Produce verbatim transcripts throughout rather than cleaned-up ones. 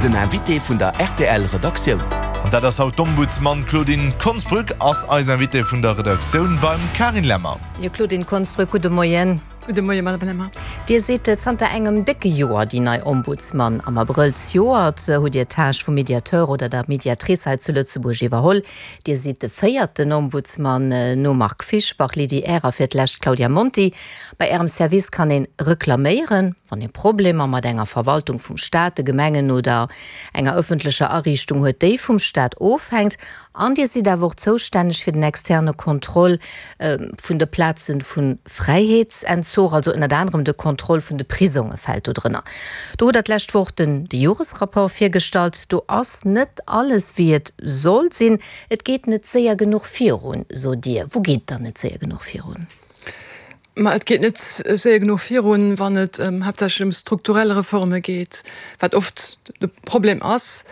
Den Invité vun der rtl Redaktioun. An dat ass haut d'Ombudsman Claudine Konsbrück ass eis Invitée vun der Redaktioun beim Carine Lemmer. Jo Claudine Konsbrück, gudde Moien. Gudde Moien, Madame Lemmer. Dir sidd zanter engem décke Joer déi nei Ombudsman. Am Abrëll zejoert hutt Dir d'Tâche vum Mediateur oder der Mediatrice hei zu Lëtzebuerg iwwerholl. Dir sidd de véierten Ombudsman nom Marc Fischbach, Lydie Err a fir d'lescht Claudia Monti. Bei Ärem Service kann ee reklaméieren, wann ee Problemer mat enger Verwaltung vum Staat, de Gemengen oder enger ëffentlecher Ariichtung huet, déi vum Staat ofhänkt. An Dir sidd awer och zoustänneg fir den externe Contrôle vun de Plaze vu Fräiheetsentzug, also ënnert anerem de Contrôle vun de Prisonge fält do drënner. Do hutt Der d'lescht Woch den de Joresrapport virgestallt. Do ass net alles wéi et soll sinn. Et geet net séier genuch virun, sot Dir. Wou geet et dann net séier genuch virun? Ma et geet net séier genuch virun, wann et haaptsächlech ëm strukturell Reforme geet, wat oft de Problem ass.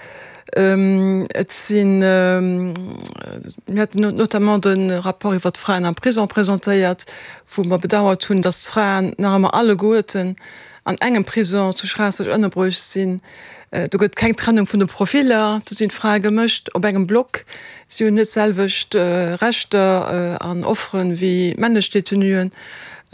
Et sinn, mir haten notamment de Rapport iwwert d'Fraen am Prison presentéiert, wou mer bedauert hunn, datt d'Fraen nach ëmmer alleguerten an engem Prison zu Schraasseg ënnerbruecht sinn. Do gëtt keng Trennung vun de Profiller, do sinn d'Frae gemëscht op engem Block. Si hunn net d'selwecht Rechter an Offere wéi männlech Detenuen.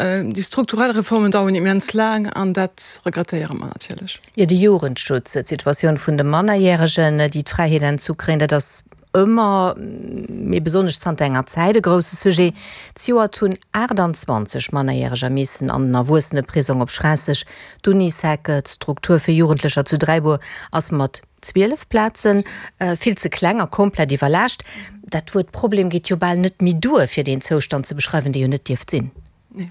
Déi strukturell Reformen daueren immens laang an dat regrettéiere mer natierlech. Jo, de Jugendschutz, d'Situatioun vun de Mannerjäregen, déi d'Fräiheet entzu kréien, dat ass ëmmer, mee besonnesch zanter enger Zäit e grousse Sujet. Zejoert hunn aachtanzwanzeg Mannerjäreger missen an den Erwuesseneprisong op Schraasseg. D'Unisec, d'Struktur fir Jugendlecher zu Dräibuer, ass mat zwielef Plaze vill ze kleng a komplett iwwerlaascht. Dat Wuert Problem geet jo bal net méi duer, fir deen Zoustand ze beschreiwen, dee jo net dierft sinn. Nee.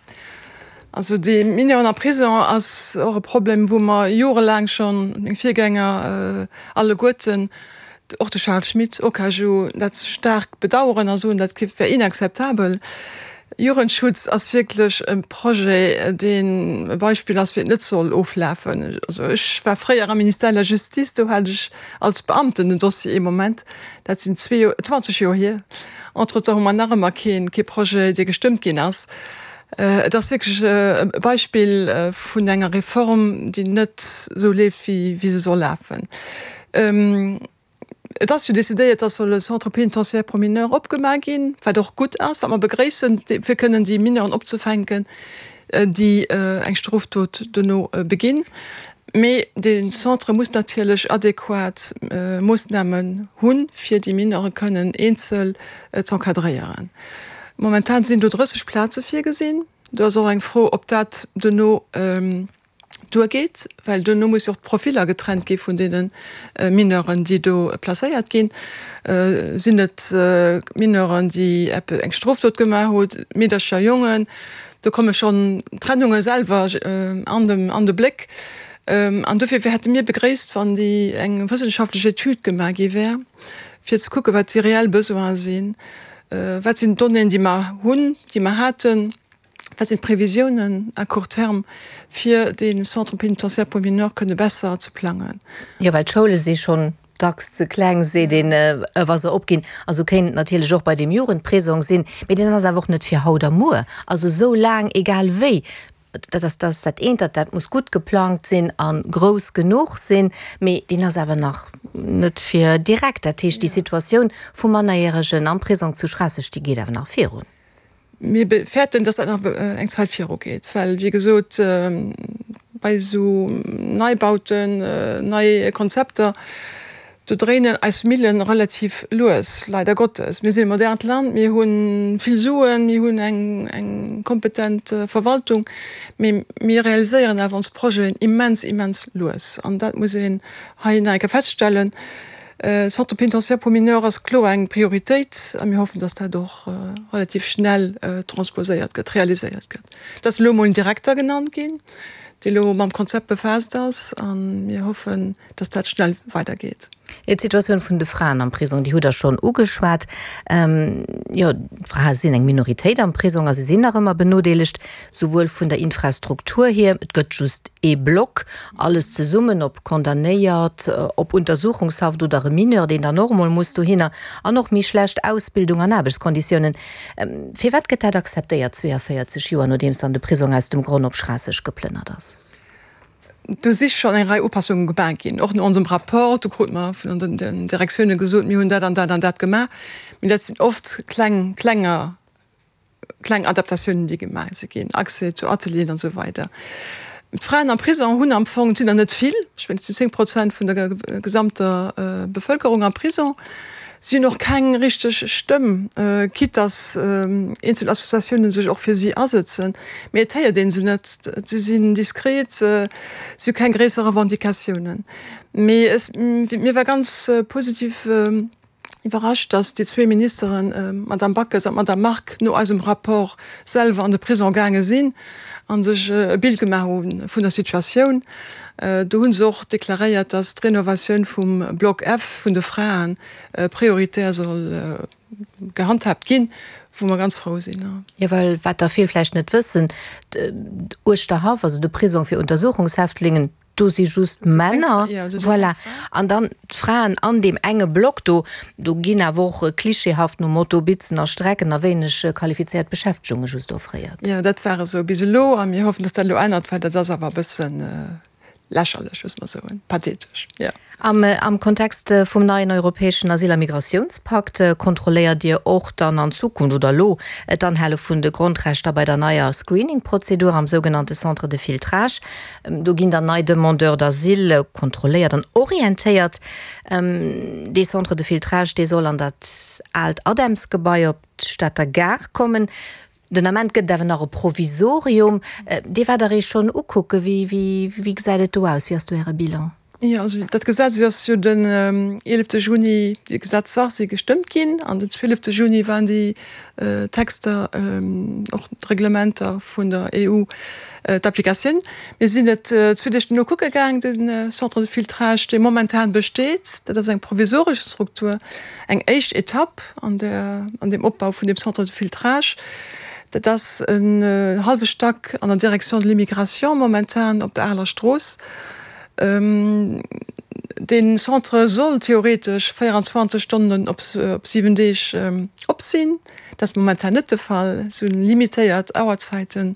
Also déi Mineuren am Prison ass och e Problem, wou mer jorelaang schonn, meng Virgänger alleguerten, och de Charles Schmit, OKaJu, dat staark bedauern a soen, dat wär inakzeptabel. Jugendschutz ass wierklech e Projet, deen e Beispill ass, wéi et net soll oflafen. Also ech war fréier am Ministère de la Justice, do hat ech als Beamten den Dossier ee Moment, dat sinn zwee Joer, zwanzeg Joer hier. Entretemps hu mer nach ëmmer keen, kee Projet, dee gestëmmt ginn ass. Et ass wierklech e Beispill vun enger Reform, déi net esou leeft, wéi se soll lafen. Et ass jo decidéiert, dass soll e Centre pénitentiaire pour mineurs opgemaach ginn, wat och gutt ass, wat mer begréissen, fir kënnen déi Mineuren opzefänken, déi eng Strofdot dono beginn. Mee dee Centre muss natierlech adequat Moossnamen hunn, fir déi Mineure kënnen eenzel z'encadréieren. Momentan sinn do drësseg Plaze virgesinn. Do ass och eng Fro, ob dat duerno duergeet, well duerno muss jo och d'Profiller getrennt gi vun deene Mineuren, déi do placéiert ginn. Sinn et Mineuren, déi eng Strofdot gemaach hunn, Meedercher, Jongen? Do komme schonn d'Trennunge selwer an de Bléck. An dofir hätte mir begréisst, wann déi eng wëssenschaftlech Etüd gemaach gi wär, fir ze kucken, wat déi reell Besoine sinn, wat sinn d'Donnéeën, déi mer hunn, déi mer haten, wat sinn d'Previsiounen à court terme, fir dee Centre pénitentiaire pour mineurs kënne besser ze plangen. Jo, well d'Schoule si schonn dacks ze kleng, seet een, wa se opginn. A sou kéint et natierlech och bei deem Jugendprisong sinn, mee deen ass awer och net fir haut a muer. Also esou laang, egal wéi, dat ass dat ass dat eent, dat dat muss gutt geplangt sinn a grouss genuch sinn, mee deen ass awer nach net fir direkt. Dat heescht, déi Situatioun vu Mannerjäregen am Prisong zu Schraasseg, déi geet awer nach virun. Mir fäerten, dass dat nach eng Zäit virugeet, well, wéi gesot, bei esou Neibauten, nei Konzepter, do dréinen eis Millen relativ lues, leider Gottes. Mir sinn e modernt Land, mir hu vill Suen, mir hunn eng kompetent Verwaltung, mee mir realiséieren awer ons Projeten immens, immens lues. An dat muss een hei nach eng Kéier feststellen. Centre pénitentiaire pour mineurs ass kloer eng Prioritéit a mir hoffen, dass dat och relativ schnell transposéiert gëtt, realiséiert gëtt. Et ass elo emol en Direkter genannt ginn, dee elo mam Konzept befaasst ass a mir hoffen, dass dat schnell weidergeet. D'Situatioun vun de Fraen am Prisong, déi hutt Der schonn ugeschwat. Jo, d'Frae sinn eng Minoritéit am Prisong a se sinn nach ëmmer benodeelegt, souwuel vun der Infrastruktur hier, et gëtt just ee Block, alles zesummen, ob Condamnéiert, ob Untersuchungshaft oder e Mineur, deen dann och emol muss dohinner, an och méi schlecht Ausbildung an Aarbechtskonditiounen. Firwat gëtt dat akzeptéiert, zweeënvéierzeg Joer nodeems dann de Prisong aus dem Gronn op Schraasseg geplënnert ass? Do si schonn eng Rei Upassunge gemaach ginn, och no onsem Rapport. Do krute mer vun den Direktioune gesot, mir hunn dat an dat an dat gemaach. Mee dat sinn oft kleng, klenger, kleng Adaptatiounen, déi gemaach si ginn, Accès zu Atelieren an esou weider. D'Fraen am Prisong hunn am Fong, et sinn der net vill, ech mengen et sinn zéng Prozent vun der gesamter Bevëlkerung am Prisong, si hunn och keng richteg Stëmm, quitte dass eenzel Associatiounen sech och fir si asëtzen, mee et héiert ee se net, si sinn diskret, si hu keng gréisser Revendicatiounen. Mee mir war ganz positiv iwwerrascht, dass déi zwee Ministeren, d'Madame Backes an d'Madame Margue, no eisem Rapport selwer an de Prisong gaange sinn a sech e Bild gemaach hu vun der Situatioun. Do hu se och deklaréiert, dass d'Renovatioun vum Block F vun de Frae prioritär soll gehandhaabt ginn, wou mer ganz frou sinn. Jo, well wat der vill vläicht net wëssen, Uerschterhaff, also de Prisong fir Untersuchungshäftlingen, do si just Männer, voilà, an dann d'Fraen an deem enge Block do, do ginn awer och klischeehaft nom Motto Bitzen a Strecken a wéineg qualifizéiert Beschäftegunge just offréiert. Jo, dat war esou bis elo a mir hoffen, dass dat elo ännert, well dat ass awer e bëssen lächerlech, muss mer soen, pathetesch, jo. Am am Kontext vum neien europäeschen Asyl a Migratiounspakt kontrolléiert Dir och dann an Zukunft oder elo d'Anhale vun de Grondrechter bei der neier Screening-Prozedur am sougenannte Centre de filtrage. Do ginn dann nei Demandeurs d'asile kontrolléiert an orientéiert. Dee Centre de filtrage, dee soll an dat aalt ADEMS-Gebai op d'Stater Gare kommen. Den Ament gëtt et awer nach e Provisorium. Dir waart der ee schonn ukucken. Wéi, wéi, wéi gesäit et do aus? Wéi ass do Äre Bilan? Jo, also dat Gesetz ass jo den eelefte Juni, déi Gesetzer si gestëmmt ginn an den zwielefte Juni waren déi Texter, och d'Reglementer vun der E U d'Applikatioun. Mir sinn et zwee Deeg dono kucke gaang, de Centre de filtrage, dee momentan besteet. Dat ass eng provisoresch Struktur, eng éischt Etapp an der, an deem Opbau vun deem Centre de filtrage. Dat ass en hallwe Stack an der Direction de l'immigration momentan op der Aler Strooss. Dee Centre soll theoretesch véieranzwanzeg Stonnen op siwen Deeg op sinn. Dat ass momentan net de Fall. Et si limitéiert Auerzäiten.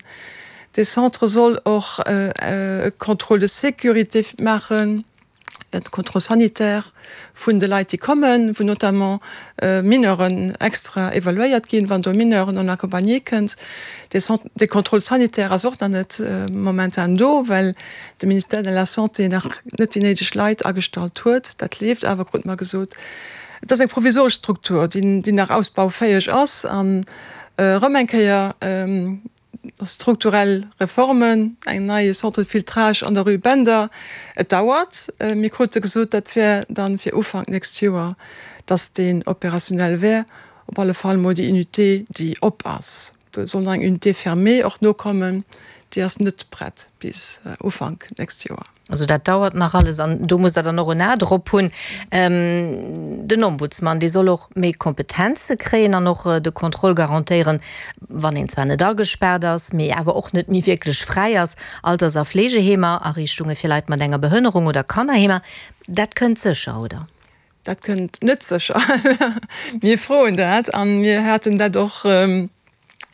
Dee Centre soll och e Contrôle de sécurité maachen, e Contrôle sanitaire vun de Leit, déi kommen, wou notamment Mineuren extra evaluéiert ginn, wann do e Mineur non accompagné kënnt. Dee Contrôle sanitaire ass och nach net momentan do, well de Ministère de la Santé nach net déi néideg Leit agestallt huet. Dat leeft awer, krute mer gesot. Et ass eng provisoresch Struktur, déi nach ausbaufäeg ass an erëm eng Kéier strukturell Reformen, eng neie Centre de filtrage an der Rue Bender. Et dauert. Mir krute gesot, dat wär dann fir Ufank nächst Joer, dass deen opérationnel wär, op alle Fall mol déi Unité, déi op ass. Do soll nach eng Unité fermée och nokommen, déi ass net prett bis Ufank nächst Joer. Also dat dauert nach alles an do musst Der dann och en A drop hunn. Den Ombudsman, dee soll och méi Kompetenze kréien an och de Contrôle garantéieren, wann een zwar net agespaart ass, mee awer och net méi wierklech fräi ass. Alters a Fleegeheemer, Ariichtunge fir Leit mat enger Behënnerung oder Kannerheemer, dat kënnt sécher, oder? Dat kënnt net sécher. Mir froen dat a mir haten dat och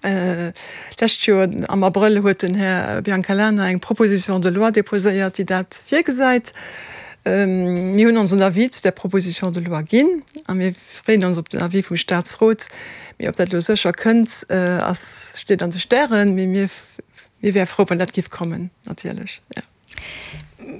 d'lescht Joer am Abrëll huet den Här Biancalana eng Proposition de loi déposéiert, déi dat virgesäit. Mir hunn onsen Avis zu där Proposition de loi ginn a mir freeën ons op den Avis vum Statsrot. Mee ob dat elo sécher kënnt, ass, steet an de Stären. Mee mir, mir wäre frou, wann dat géif kommen, natierlech, jo.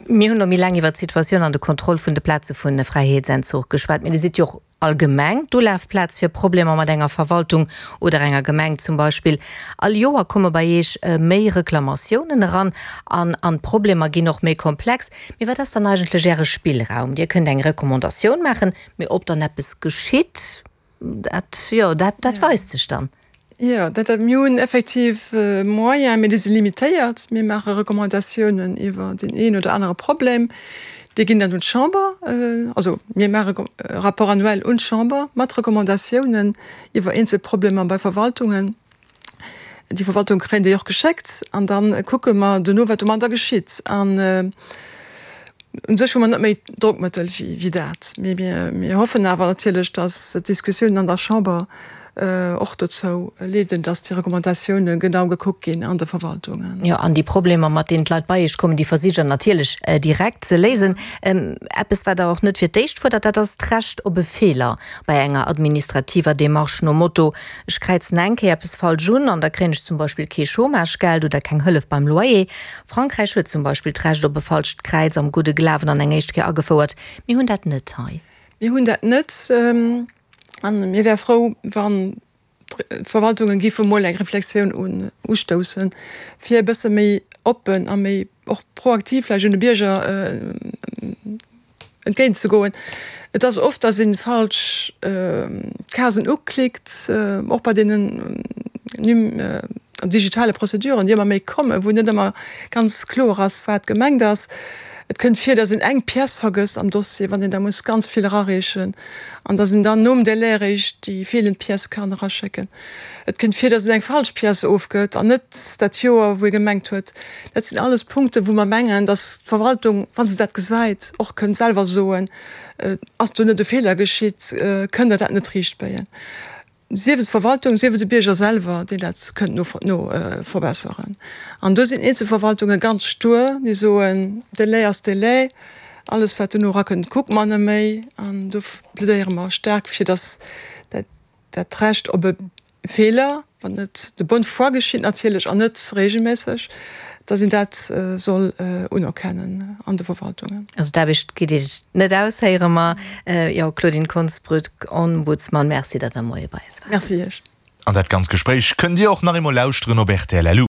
Mir hunn elo méi laang iwwert d'Situatioun an de Contrôle vun de Plaze vu Fräiheetsentzuch geschwat. Mee Dir sidd jo och allgemeng d'Ulafplaz fir Problemer mat enger Verwaltung oder enger Gemeng zum Beispill. All Joer komme bei Iech méi Reklamatiounen eran an an d'Problemer ginn och méi komplex. Mee wat ass dann eigentlech Äre Spillraum? Dir kënnt eng Recommandatioun maachen, mee ob dann eppes geschitt, dat, jo, dat, dat weist sech dann. Jo, dat, mir hunn effektiv Moyenen, mee déi si limitéiert. Mir maache Recommandatiounen iwwer deen een oder anere Problem. Déi ginn dann un d'Chamber. Also mir maache e Rapport annuel un d'Chamber mat Recommandatiounen iwwer eenzel Problemer bei Verwaltungen. Déi Verwaltunge kréien déi och geschéckt an da kucke mer dono, wat domadder geschitt. An u sech hu mer net méi Drockmëttel wéi dat. Mee mir hoffen awer natierlech, datt d'Diskussiounen an der Chamber och dozou leeden, dass déi Recommandatioune genau gekuckt ginn an de Verwaltungen. Jo, an déi Problemer, mat deenen d'Leit bei Iech kommen, déi versicht Der natierlech direkt ze léisen. Eppes, wat Der och net fir d'éischt fuerdert, dat ass d'Recht op e Feeler bei enger administrativer Demarche nom Motto, Ech kräizen eng Kéier eppes falsch un an da kréien ech zum Beispill kee Chômagegeld oder keng Hëllef beim Loyer. Frankräich huet zum Beispill d'Recht op e falscht Kräiz am gudde Glawen an eng éischt Kéier agefouert. Mir hunn dat net hei. Mir hunn dat net. A mir wäre frou, wann d'Verwaltunge giffe mol eng Reflexioun ustoussen, fir e bësse méi oppen a méi och proaktiv vläicht un de Bierger entgéintzegoen. Et ass oft, dass ee falsch Casen uklickt, och bei deenen digitale Prozeduren, déi ëmmer méi kommen, wou net ëmmer ganz kloer ass, wat gemengt ass. Et kënnt vir, dass een eng Pièce vergësst am Dossier, wann een da muss ganz vill erareechen an dass een dann nom Délai eréischt déi feelend Pièce kann eraschécken. Et kënnt vir, dass een eng falsch Pièce ofgëtt an net dat Joer, wou ee gemengt huet. Dat sinn alles Punkten, wou mer mengen, dass d'Verwaltung, wa se dat gesäit, och kënnt selwer soen, Ass do net e Feeler geschitt? Kënnt Der dat net riichtbéien? Sief et d'Verwaltung, sief et de Bierger selwer, deen dat kënnt no verbesseren. An do sinn eenzel Verwaltunge ganz stur, déi soen, Délai ass Délai, alles wat dono erakënnt, kucke mer net méi. An do plädéiere mer staark, fir datt dat Recht op e Feeler, wann et de bonne foi geschitt natierlech an net regelméisseg, dass een dat soll unerkennen an de Verwaltungen. Also d'Aarbecht geet Iech net aus, héiere mer. Jo, Claudine Konsbrück, Ombudsman, Merci, datt Der Moie bei eis waart. Merci Iech. An dat ganz Gespréich kënnt Dir och nach eemol lauschteren op rtl. Lu.